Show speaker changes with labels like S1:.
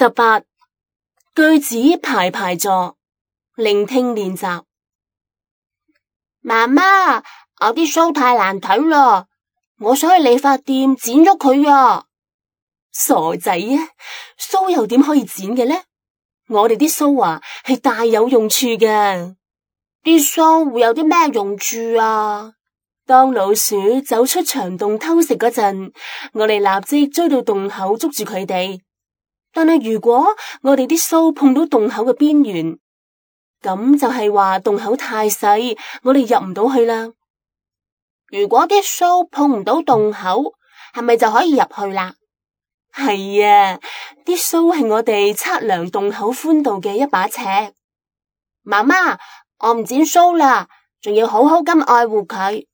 S1: 18句子排排坐，聆聽練習。
S2: 媽媽，我啲鬚太難睇啦，我想去理髮店剪咗佢啊！
S1: 傻仔啊，鬚又點可以剪嘅呢？我哋啲鬚啊係大有用處嘅。
S2: 啲鬚會有啲咩用處啊？
S1: 當老鼠走出牆洞偷食嗰陣，我哋立即追到洞口捉住佢哋。但係如果我哋啲鬚碰到洞口嘅邊緣，咁就係話洞口太細，我哋入唔到去啦。
S2: 如果啲鬚碰唔到洞口，係咪就可以入去啦？
S1: 係啊，啲鬚係我哋測量洞口寬度嘅一把尺。
S2: 媽媽，我唔剪鬚啦，仲要好好咁愛護佢。